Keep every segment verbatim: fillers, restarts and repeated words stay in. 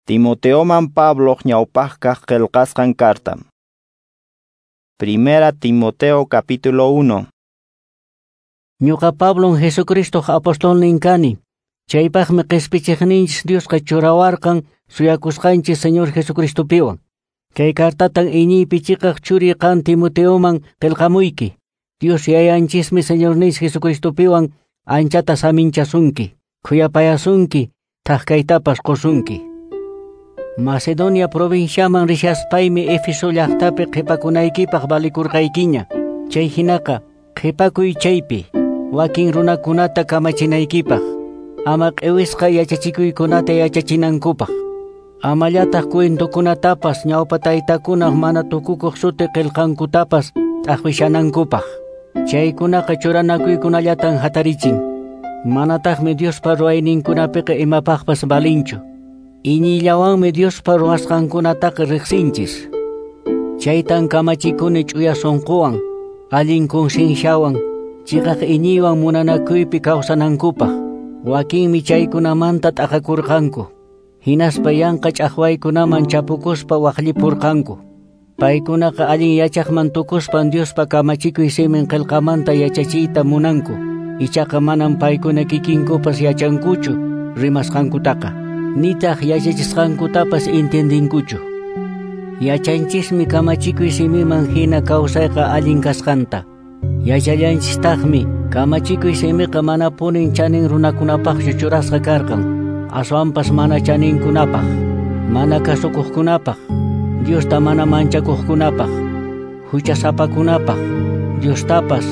Timoteoman Pabloq ñawpaqkaq qillqasqan carta. Primera Timoteo capítulo uno. Ñuqa Pablon Jesucristoq apostolnin kani. Chaypaqmi qispichiqninchis Diosqa churawarqan suyakusqanchis Señor Jesucristopiwan. Kay cartatan iñiypi chiqaq churi qan Timoteoman qillqamuyki. Dios Yayanchismi Señorninchis Jesucristopiwan anchata saminchasunki, khuyapayasunki, thak kaytapas qusunki. Macedonia provinciaman rishaspaymi Éfeso llaqtapi qhipakunaykipaq valikurqaykiña. Chay hinaqa qhipakuy chaypi wakin runakunata kamachinaykipaq, ama q'iwisqa yachachikuykunata yachachinankupaq. Amallataq cuentokunatapas ñawpa taytakunaq mana tukukuq suti qillqankutapas t'aqwishanankupaq. Chaykunaqa churanakuykunallatan hatarichin. Manataqmi Diospa ruwayninkunapiqa imapaqpas valinchu. Iñiyllawanmi Diospa ruwasqankunataqa riqsinchis. Chaytan kamachikuni ch'uya sunquwan, allin concienciawan, chiqaq iñiywan munanakuypi kawsanankupaq. Wakinmi chaykunamanta t'aqakurqanku. Hinaspa yanqa ch'aqwaykunaman chapukuspa waqllipurqanku. Paykunaqa allin yachaqman tukuspan Diospa kamachikuy simin qillqamanta yachachiyta munanku. Ichaqa manam paykuna kikinkupas yachankuchu rimasqankutaqa. Nitaq yachachisqankutapas intendinkuchu. Yachanchismi kamachikuy simiman hina kawsayqa allin kasqanta. Yachallanchistaqmi kamachikuy simiqa manapunin chanin runakunapaqchu churasqa karqan, aswanpas mana chaninkunapaq, mana kasukuqkunapaq, Diosta mana manchakuqkunapaq, huchasapakunapaq, Diostapas,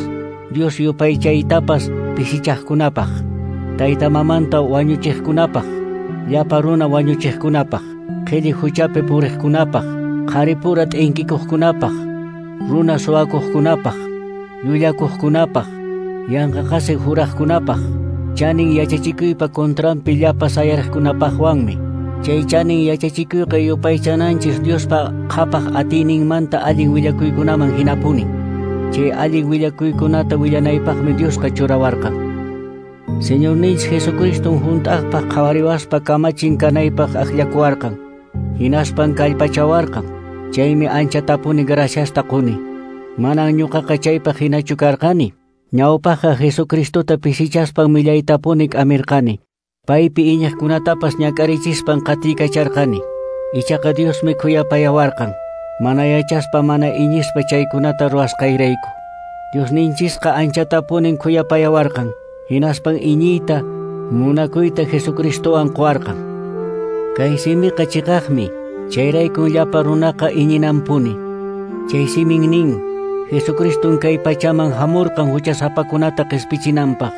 Dios yupaychaytapas pisichaqkunapaq, tayta mamanta wañuchiqkunapaq, llapa runa wañuchiqkunapaq, qhilli huchapi puriqkunapaq, qharipura t'inkikuqkunapaq, runa suwakuqkunapaq, llullakuqkunapaq, yanqa qasi juraqkunapaq, chanin yachachikuypa contranpi llapa sayariqkunapaqwanmi. Chay chanin yachachikuyqa yupaychananchis Diospa qhapaq atiyninmanta allin willakuykunaman hinapunin. Chay allin willakuykunata willanaypaqmi Diosqa churawarqan. Señorninchis Jesucriston hunt'aqpaq qhawariwaspa kamachin kanaypaq akllakuwarqan. Hinaspan kallpachawarqan. Chaymi anchatapuni graciasta quni. Manan ñuqaqa chaypaq hinachu karqani. Ñawpaqqa Jesucristota pisichaspan millaytapuni k'amirqani. Paypi iñiqkunatapas ñak'arichispan qatiykacharqani. Ichaqa Diosmi khuyapayawarqan. Mana yachaspa mana iñispa chaykunata ruwasqayrayku. Diosninchisqa anchatapunin khuyapayawarqan. Hinaspan iñiyta, munakuyta Jesucristowan quwarqan. Kay simiqa chiqaqmi, chayraykun llapa runaqa iñinanpuni. Chay simin nin, Jesucriston kay pachaman hamurqan huchasapakunata qispichinanpaq.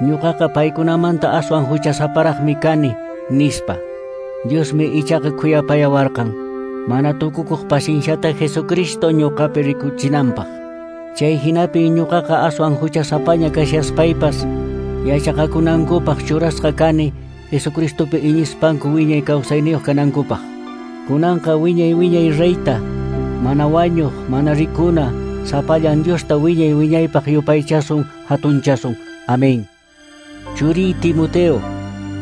Ñuqaqa paykunamanta aswan huchasaparaqmi kani, nispa. Diosmi ichaqa khuyapayawarqan, mana tukukuq pacienciata Jesucristo ñuqapi rikuchinanpaq. Chay hinapi ñuqaqa aswan huchasapaña kashaspaypas, yachaqakunankupaq churasqa kani, Jesucristopi iñispanku wiñay kawsayniyuq kanankupaq. Kunanqa wiñay wiñay reyta, mana wañuq, mana rikuna, sapallan Diosta wiñay wiñaypaq yupaychasun, hatunchasun. Amén. Churi Timoteo,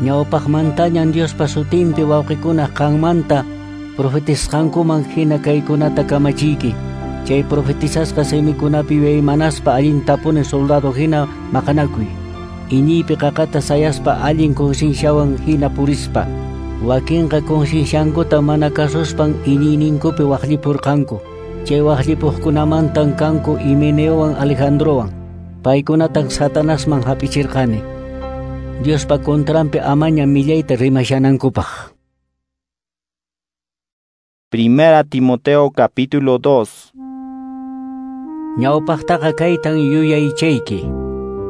ñawpaqmantañan Diospa sutinpi wawqikunaq qanmanta profetisqankuman hina kaykunata kamachiyki. Chay profetizasqa simikunapi yuyaymanaspa allintapuni soldado hina maqanakuy. Iñiypi qaqata sayaspa allin concienciawan hina purispa. Wakinqa concienciankuta mana kasuspan iñiyninkupi waqllipurqanku. Chay waqllipuqkunamantan kanku Himeneowan Alejandrowan. Paykunatan Satanasman hap'ichirqani. Diospa contranpi amaña millayta rimashanankupaq. Primera Timoteo capítulo dos. Ñawpaqtaqa kaytan yuyaychayki.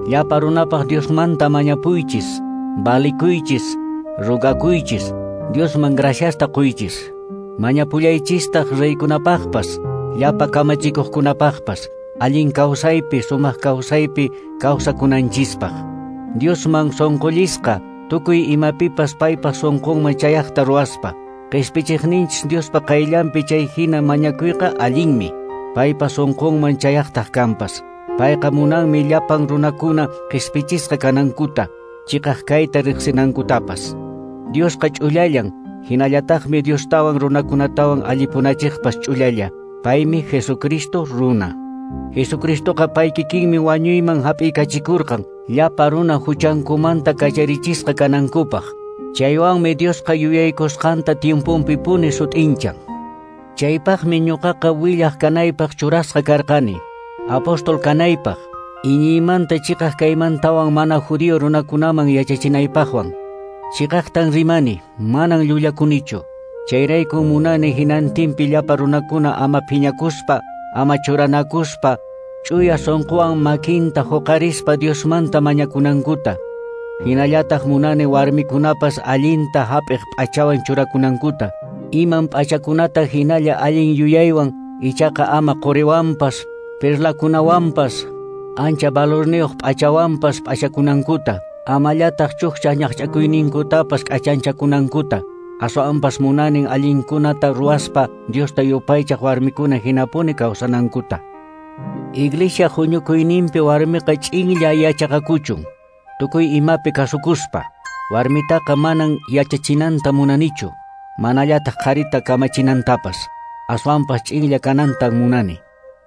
Llapa runapaq Diosmanta mañapuychis, valikuychis, rogakuychis, Diosman graciasta quychis. Mañapullaychistaq reykunapaqpas, llapa kamachikuqkunapaqpas, allin kawsaypi, sumaq kawsaypi kawsakunanchispaq. Diosman sunqullisqa, tukuy imapipas paypa sunqunman chayaqta ruwaspa. Qispichiqninchis Diospa qayllanpi chay hina mañakuyqa allinmi, paypa sunqunman chayaqtaq kanpas. Payqa munanmi llapan runakuna qispichisqa kanankuta, chiqaq kayta riqsinankutapas. Diosqa ch'ullallan, Hinallataqmi Diostawan runakunatawan allipunachiqpas ch'ullalla. Paymi Jesucristo runa. Jesucristoqa pay kikinmi wañuyman hap'ikachikurqan, llapa runa huchankumanta kacharichisqa kanankupaq. Chaywanmi Diosqa yuyaykusqanta tiemponpipuni sut'inchan. Chaypaqmi ñuqaqa willaq kanaypaq churasqa karqani, apóstol kanaypaq, iñiymanta chiqaq kaymantawan mana judío runakunaman yachachinaypaqwan. Chiqaqtan rimani, manan llullakunichu. Chayraykun munani hinantinpi llapa runakuna ama phiñakuspa, ama churanakuspa, ch'uya sunquwan makinta huqarispa Diosmanta mañakunankuta. Hinallataq munani warmikunapas allinta hap'iq p'achawan churakunankuta. Iman p'achakunata hinalla allin yuyaywan, ichaqa ama quriwanpas, perlakunawanpas, ancha valorniyuq p'achawanpas p'achakunankuta. Amallataq chukcha ñaqch'akuyninkutapas k'achanchakunankuta. Aswanpas munanin allinkunata ruwaspa Diosta yupaychaq warmikuna hinapuni kawsanankuta. Iglesia huñukuyninpi warmiqa ch'inlla yachaqakuchun, tukuy imapi kasukuspa. Warmitaqa manan yachachinanta munanichu, manallataq qharita kamachinantapas, aswanpas ch'inlla kanantan munani.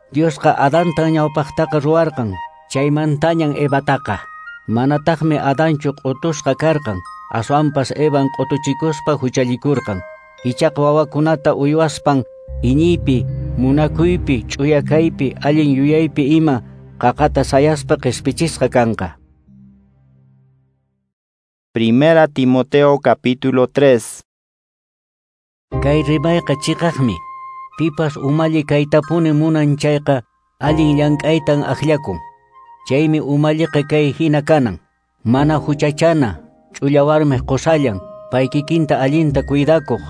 Diosqa Adantan ñawpaqtaqa ruwarqan, chaymantañan Evataqa. Manataqmi Adanchu q'utusqa karqan, aswanpas Evan q'utuchikuspa huchallikurqan. Ichaqa wawakunata uywaspan iñiypi, munakuypi, ch'uyakaypi, allin yuyaypi ima qaqata sayaspa qhispichisqa kanqa. Primera Timoteo capítulo tres. Kay rimayqa chiqaqmi. Pipas umalli kaytapuni munan chayqa allin llank'aytan akllakun. Chaymi umalliqa kay hina kanan, mana huchachana, ch'ulla warmiq qusallan, pay kikinta allinta cuidakuq,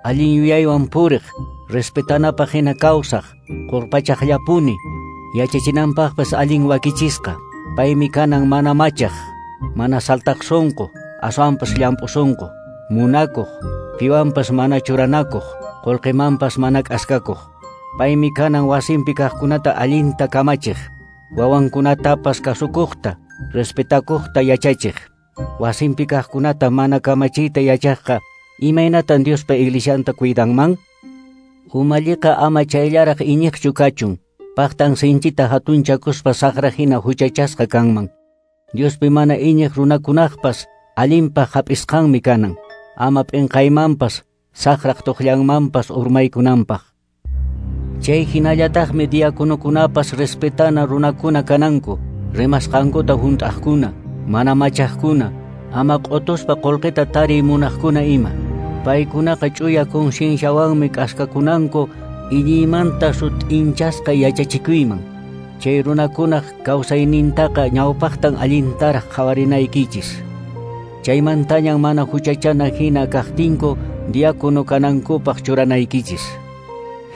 allin yuyaywan puriq, respetanapaq hina kawsaq, qurpachaqllapuni, yachachinanpaqpas allin wakichisqa. Paymi kanan mana machaq, mana saltaq sunqu, aswanpas llamp'u sunqu, munakuq, piwanpas mana churanakuq, qullqimanpas mana k'askakuq. Paymi kanan wasinpi kaqkunata allinta kamachiq, wawankunatapas kasukuqta, respetakuqta yachachiq. Wasinpi kaqkunata mana kamachiyta yachaqqa, imaynatan Diospa iglesianta cuidanman? Umalliqa ama chayllaraq iñiqchu kachun, paqtan sinchita hatunchakuspa saqra hina huchachasqa kanman. Diospi mana iñiq runakunaqpas allinpaq hap'isqanmi kanan, ama p'inqaymanpas, saqraq tuqllanmanpas urmaykunanpaq. Chay hinallataqmi diakonokunapas respetana runakuna kananku, rimasqankuta hunt'aqkuna, mana machaqkuna, ama q'utuspa qullqita tariy munaqkuna ima. Paykunaqa ch'uya concienciawanmi k'askakunanku iñiymanta sut'inchasqa yachachikuyman. Chay runakunaq kawsaynintaqa ñawpaqtan allintaraq qhawarinaykichis. Chaymantañan mana huchachana hina kaqtinku diácono kanankupaq churanaykichis.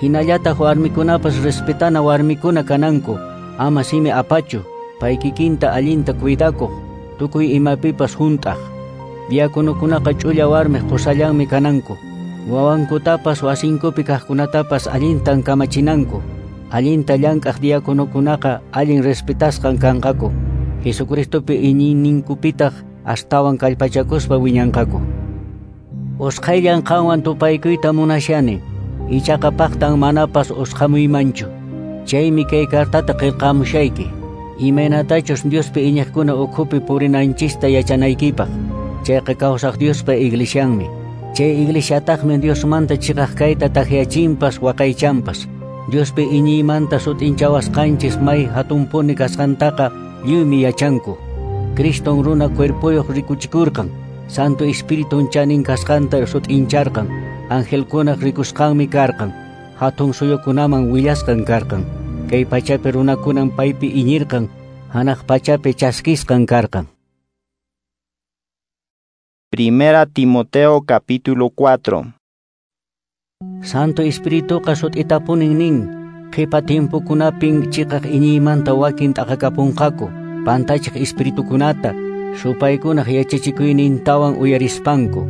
Hinallataq warmikunapas respetana warmikuna kananku, ama simi apachu, pay kikinta allinta cuidakuq, tukuy imapipas hunt'aq. Diakonokunaqa ch'ulla warmiq qusallanmi kananku, wawankutapas wasinkupi kaqkunatapas allintan kamachinanku. Allinta llank'aq diakonokunaqa allin respetasqan kanqaku, Jesucristopi iñiyninkupitaq astawan kallpachakuspa wiñanqaku. Usqhayllan qanwan tupaykuyta munashani, ichaqa paqtan manapas usqhamuymanchu. Chaymi kay cartata qillqamushayki, imaynatachus Diospi iñiqkuna ukhupi purinanchista yachanaykipaq. Chayqa kawsaq Diospa iglesianmi. Chay iglesiataqmi Diosmanta chiqaq kayta takyachinpas waqaychanpas. Diospi iñiymanta sut'inchawasqanchis may hatunpuni kasqantaqa lliwmi yachanku. Criston runa cuerpoyuq rikuchikurqan, Santo Espiritun chanin kasqanta sut'incharqan, angelkunaq rikusqanmi karqan, hatun suyukunaman willasqan karqan, kay pachapi runakunan paypi iñirqan, hanaq pachapi chaskisqan karqan. Primera Timoteo capítulo cuatro. Santo Espirituqa sut'itapunin nin, qhipa tiempokunapin chiqaq iñiymanta wakin t'aqakapunqaku, pantachiq espiritukunata, supaykunaq yachachikuynintawan uyarispanku.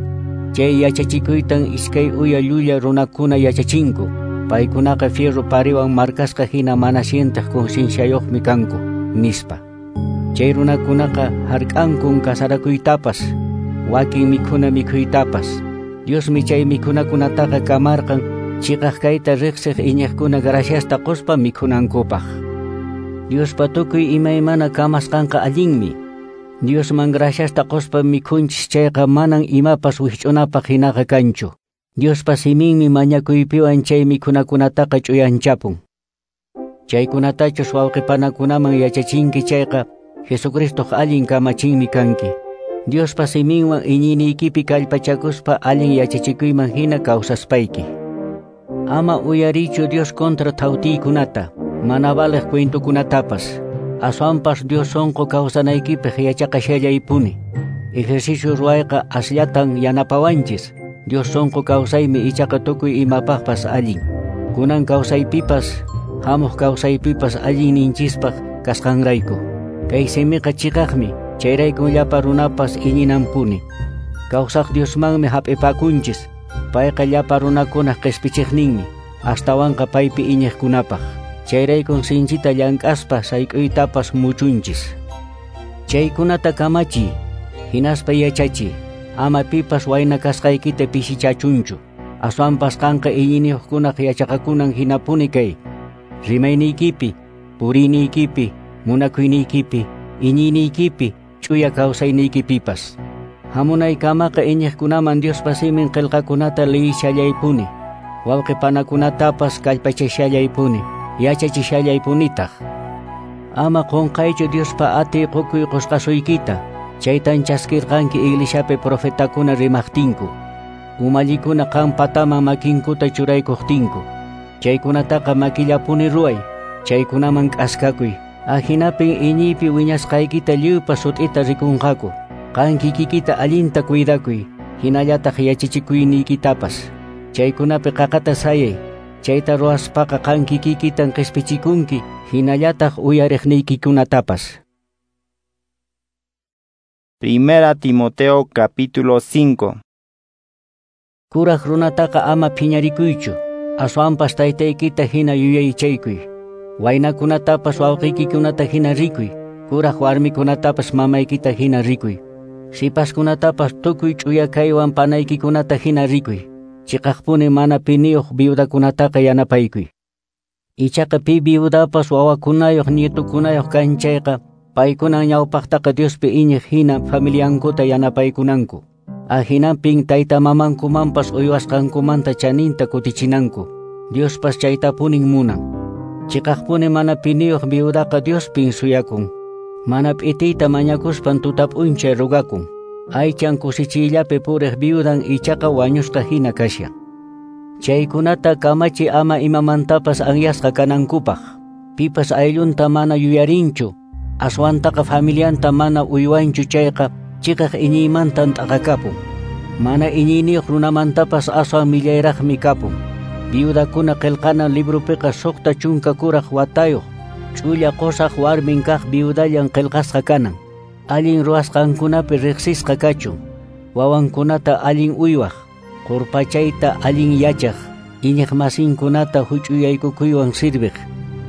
Chay yachachikuytan iskay uya llulla runakuna yachachinku, paykunaqa fierro pariwan markasqa hina mana sientaq concienciayuqmi kanku, nispa. Chay runakunaqa hark'ankun kasarakuytapas, wakin mikhuna mikhuytapas. Diosmi chay mikhunakunataqa kamarqan chiqaq kayta riqsiq iñiqkuna graciasta quspa mikhunankupaq. Diospa tukuy imaymana kamasqanqa allinmi. Diosman graciasta quspa mikhunchis chayqa manan imapas wikch'unapaq hinaqa kanchu. Diospa siminmi mañakuypiwan chay mikhunakunataqa ch'uyanchapun. Chaykunatachus wawqipanakunaman yachachinki chayqa Jesucristoq allin kamachinmi kanki. Diospa siminwan iñiniykipi kallpachakuspa allin yachachikuyman hina kawsaspayki. Ama uyarichu Dios contra thawtiykunata, mana valeq cuentokunatapas. Aswanpas Dios sonqo kawsanaykipaq yachaqashallaypuni. Ejercicio ruwayqa asllatan yanapawanchis. Dios sonqo kawsaymi ichaqa tukuy imapaqpas allin. Kunan kawsaypipas, hamuq kawsaypipas allinninchispaq kasqanrayku. Kay simiqa chiqaqmi, chayraykun llapa runapas iñinanpuni. Kawsaq Diosmanmi hap'ipakunchis, payqa llapa runakunaq qispichiqninmi, astawanqa paypi iñiqkunapaq. Chayraykun sinchita llank'aspa sayk'uytapas muchunchis. Chaykunata kamachiy, hinaspa yachachiy, ama pipas wayna kasqaykita pisichachunchu. Aswanpas qanqa iñiniyuqkunaq yachaqakunan hinapuni kay. Rimayniykipi, puriyniykipi, munakuyniykipi, iñiyniykipi, ch'uya kawsayniykipipas. Hamunaykamaqa iñiqkunaman Diospa simin qillqakunata liyishallaypuni, wawqipanakunatapas kallpachashallaypuni, yachachishallaypunitaq. Ama qunqaychu Diospa atiy qukuy qusqasuykita, chaytan chaskirqanki iglesiapi profetakuna rimaqtinku, umallikuna qan pataman makinkuta churaykuqtinku. Chaykunataqa makillapuni ruway, chaykunaman k'askakuy. Ahinapin iñiypi wiñasqaykita lliwpa sut'ita rikunqaku. Qan kikikita allinta cuidakuy, hinallataq yachachikuyniykitapas. Chaykunapi qaqata sayay, chayta ruwaspaqa qan kikikitan qispichikunki, hinallataq uyariqniykikunatapas. Primera Timoteo capítulo cinco. Kuraq runataqa ama phiñarikuychu, aswanpas taytaykita hina yuyaychaykuy. Waynakunatapas wawqiykikunata hina rikuy, kuraq warmikunatapas mamaykita hina rikuy. Sipaskunatapas tukuy ch'uya kaywan panaykikunata hina rikuy. Chiqaqpuni mana piniyuq viudakunataqa yanapaykuy. Ichaqa pi viudapas wawakunayuq nietukunayuq kan chayqa, paykunan ñawpaqtaqa Diospi iñiq hina familiankuta yanapaykunanku. Ahinapin tayta mamankumanpas uywasqankumanta chaninta kutichinanku. Diospas chaytapunin munan. Chiqaqpuni mana piniyuq viudaqa Diospin suyakun. Mana p'itiyta mañakuspan tuta p'unchay rugakun. Aychan kusichiyllapi puriq viudan ichaqa wañusqa hina kashan. Chaykunata kamachi ama imamantapas anyasqa kanankupaq. Pipas ayllunta mana yuyarinchu, aswantaqa familianta mana uywanchu chayqa chiqaq iñiymantan t'aqakapun. Mana iñiyniyuq runamantapas aswan millayraqmi kapun. Viudakuna qillqana librupiqa suqta chunka kuraq watayuq, ch'ulla qusaq warmin kaq viudallan qillqasqa kanan. Allin ruwasqankunapi riqsisqa kachun, wawankunata allin uywaq, qurpachayta allin yachaq, iñiqmasinkunata huch'uyaykukuywan sirviq,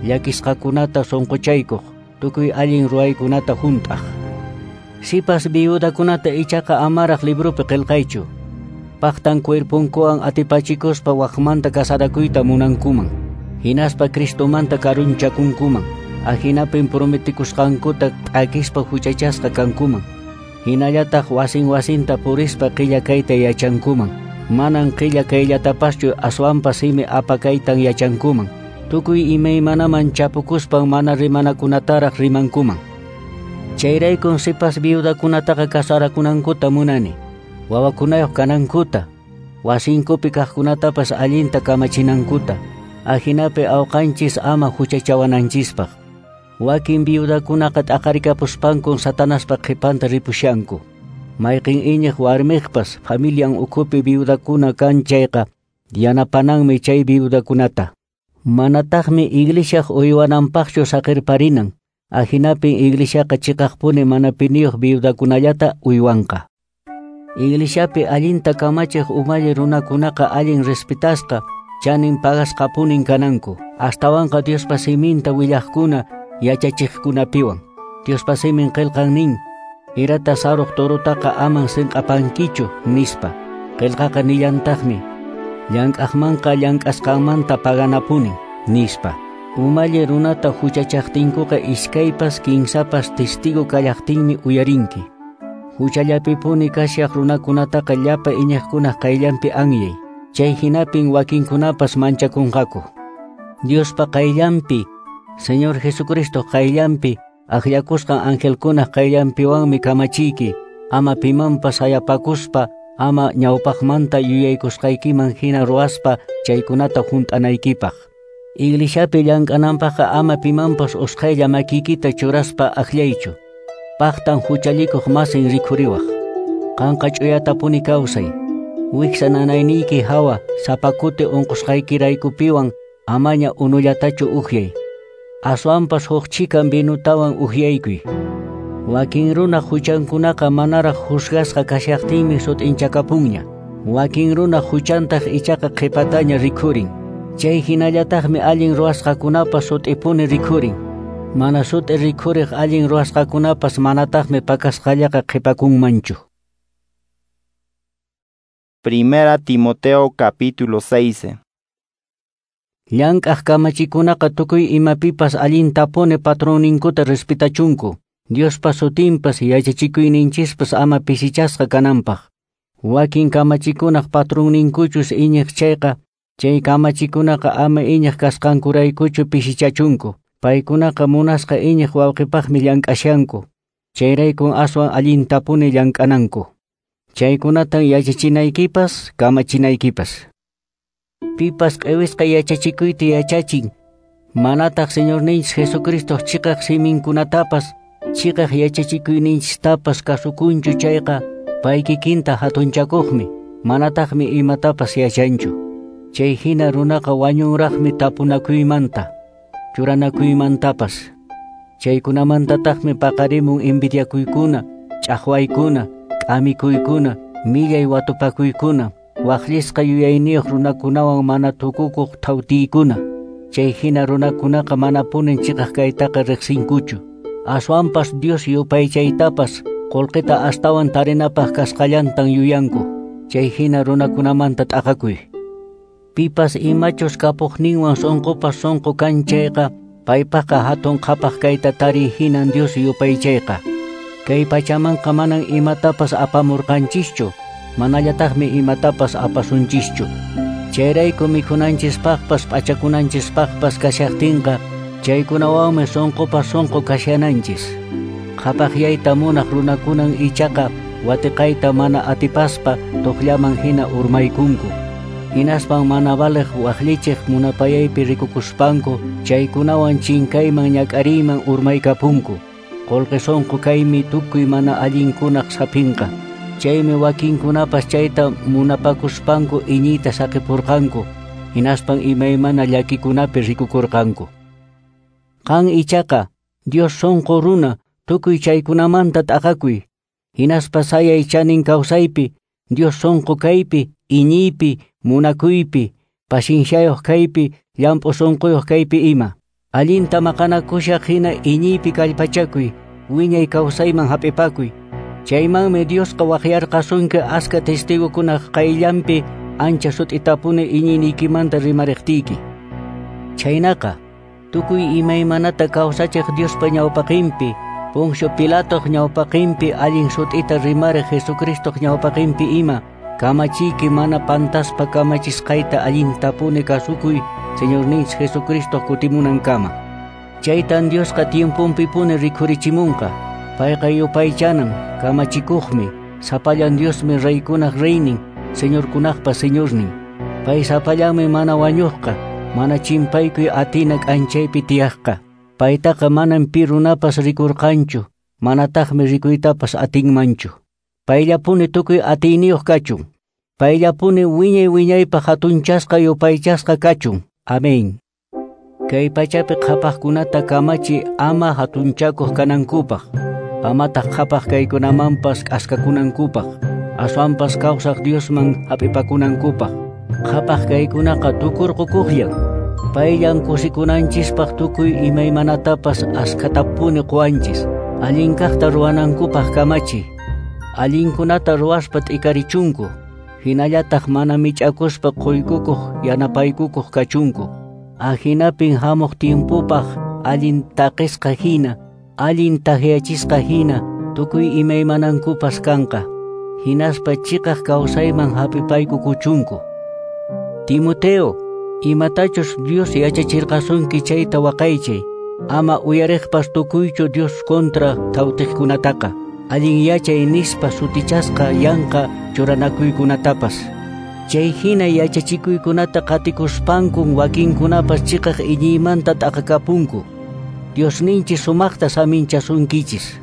llakisqakunata sunquchaykuq, tukuy allin ruwaykunata hunt'aq. Sipas viudakunata ichaqa amaraq librupi qillqaychu. Paqtan cuerpunkuwan atipachikuspa waqmanta kasarakuyta munankuman, hinaspa Cristomanta karunchakunkuman. Ahinapin prometikusqankuta t'akispa huchachasqa kankuman. Hinallataq wasin wasinta purispa qilla kayta yachankuman. Manan qilla kayllatapaschu aswanpas simi apakaytan yachankuman. Tukuy imaymanaman chapukuspan mana rimanakunataraq rimankuman. Chayraykun sipas viudakunataqa kasarakunankuta munani, wawakunayuq kanankuta, wasinkupi kaqkunatapas allinta kamachinankuta, ahinapi awqanchis ama huchachawananchispaq. Wakin viudakunaqa t'aqarikapuspankun Satanaspa qhipanta ripushanku. Mayqin iñiq warmiqpas familian ukhupi viudakuna kan chayqa yanapananmi chay viudakunata. Manataqmi iglesiaq uywananpaqchu saqirparinan. Ahinapin iglesiaqa chiqaqpuni mana piniyuq viudakunallata uywanqa. Iglesiapi allinta kamachiq umalli runakunaqa allin respetasqa, chanin pagasqapunin kananku. Astawanqa Diospa siminta willaqkuna yachachiqkunapiwan. Diospa simin qillqan nin, irata saruq torutaqa aman sinq'apankichu nispa. Qillqaqa nillantaqmi, llank'aqmanqa llank'asqanmanta paganapuni, nispa. Umalli runata huchachaqtinkuqa iskaypas kinsapas testigo kallaqtinmi uyarinki. Huchallapipuni kashaq runakunataqa llapa iñiqkunaq qayllanpi anyay. Chay hinapin wakinkunapas manchakunqaku. Diospa qayllanpi, Señor Jesucristo qayllanpi, akllakusqan angelkunaq qayllanpiwanmi kamachiyki, ama pimanpas hayapakuspa, ama ñawpaqmanta yuyaykusqaykiman hina ruwaspa chaykunata hunt'anaykipaq. Iglesiapi llank'ananpaqqa ama pimanpas usqhaylla makiykita churaspa akllaychu. Paqtan huchallikuq masin rikhuriwaq. Qanqa ch'uyatapuni kawsay. Wiksa nanayniyki hawa sapa kuti unqusqaykiraykupiwan amaña unullatachu uhyay. Aswanpas huk chikan vinutawan uhyaykuy. Wakin runa huchankunaqa manaraq juzgasqa kashaqtinmi sut'inchakapunña. Wakin runa huchantaq ichaqa qhipataña rikhurin. Chay hinallataqmi allin ruwasqakunapas sut'ipuni rikhurin. Mana sut'i rikhuriq allin ruwasqakunapas manataqmi pakasqallaqa qhipakunmanchu. Primera Timoteo capítulo seis. Llank'aq kamachikunaqa tukuy imapipas allintapuni patronninkuta respetachunku. Diospa sutinpas yachachikuyninchispas ama pisichasqa kananpaq. Wakin kamachikunaq patronninkuchus iñiq chayqa, chay kamachikunaqa ama iñiq kasqankuraykuchu pisichachunku. Paykunaqa munasqa iñiq wawqipaqmi llank'ashanku. Chayraykun aswan allintapuni llank'ananku. Chaykunatan yachachinaykipas, kamachinaykipas. Pipas q'iwisqa yachachikuyta yachachin, manataq Señorninchis Jesucristo chiqaq siminkunatapas, chiqaq yachachikuyninchistapas kasukunchu chayqa, pay kikinta hatunchakuqmi, manataqmi imatapas yachanchu. Chay hina runaqa wañunraqmi tapunakuymanta, churanakuymantapas. Chaykunamantataqmi paqarimun envidiakuykuna, ch'aqwaykuna, k'amikuykuna, millay watupakuykuna, waqllisqa yuyayniyuq runakunawan mana tukukuq thawtiykuna. Chay hina runakunaqa manapunin chiqaq kaytaqa riqsinkuchu. Aswanpas Dios yupaychaytapas qullqita astawan tarinapaq kasqallantan yuyanku. Chay hina runakunamanta t'aqakuy. Pipas imachus kapuqninwan sunqupas sunqu kan chayqa, paypaqqa hatun qhapaq kayta tariy hinan Dios yupaychayqa. Kay pachamanqa manan imatapas apamurqanchischu, manallataqmi imatapas apasunchischu. Chayrayku mikhunanchispaqpas p'achakunanchispaqpas kashaqtinqa, chaykunawanmi sunqupas sunqu kashananchis. Qhapaqyayta munaq runakunan ichaqa watiqayta mana atipaspa tuqllaman hina urmaykunku. Hinaspan mana valiq waqllichiq munapayaypi rikukuspanku, chaykunawan chinkayman ñak'ariyman urmaykapunku. Qullqi sunqu kaymi tukuy mana allinkunaq sapinqa. Chaymi wakinkunapas chayta munapakuspanku iñiyta saqipurqanku, hinaspan imaymana llakikunapi rikukurqanku. Qan ichaqa, Dios sunqu runa, tukuy chaykunamanta t'aqakuy. Hinaspa sayay chanin kawsaypi, Dios sunqu kaypi, iñiypi, munakuypi, pacienciayuq kaypi, llamp'u sunquyuq kaypi ima. Allinta maqanakushaq hina iñiypi kallpachakuy, wiñay kawsayman hap'ipakuy. Chaymanmi Diosqa waqyarqasunki aska testigukunaq qayllanpi ancha sut'itapuni iñiyniykimanta rimariqtiyki. Chaynaqa, tukuy imaymanata kawsachiq Diospa ñawpaqinpi, Poncio Pilatoq ñawpaqinpi allin sut'ita rimariq Jesucristoq ñawpaqinpi ima, kamachiyki mana pantaspa kamachisqayta allintapuni kasukuy Señorninchis Jesucristo kutimunankama. Chaytan Diosqa tiemponpipuni rikhurichimunqa. Payqa yupaychanan, kamachikuqmi, sapallan Diosmi reykunaq reynin, señorkunaqpa señornin. Pay sapallanmi mana wañuqqa, mana chimpaykuy atina k'anchaypi tiyaqqa. Paytaqa manan pi runapas rikurqanchu, manataqmi rikuytapas atinmanchu. Payllapuni tukuy atiyniyuq kachun. Payllapuni wiñay wiñaypaq hatunchasqa yupaychasqa kachun. Amén. Kay pachapi qhapaqkunata kamachi ama hatunchakuq kanankupaq, amataq qhapaq kaykunamanpas k'askakunankupaq, aswanpas kawsaq Diosman hap'ipakunankupaq. Qhapaq kaykunaqa tukurqukuqllan. Payllan kusikunanchispaq tukuy imaymanatapas askhatapuni quwanchis. Allin kaqta ruwanankupaq kamachi. Allinkunata ruwaspa t'ikarichunku. Hinallataq mana mich'akuspa quykukuq yanapaykukuq kachunku. Ahinapin hamuq tiempopaq allin taqisqa hina, allin tahyachisqa hina, tukuy imaymanankupas kanqa. Hinaspa chiqaq kawsayman hap'ipaykukuchunku. Timoteo, imatachus Dios yachachirqasunki chayta waqaychay, ama uyariqpas tukuychu Dios kontra thawtiqkunataqa, allin yachay nispa sutichasqa yanqa churanakuykunatapas. Chay hina yachachikuykunata qatikuspankun wakinkunapas chiqaq iñiymanta t'aqakapunku. Diosninchis sumaqta saminchasunkichis.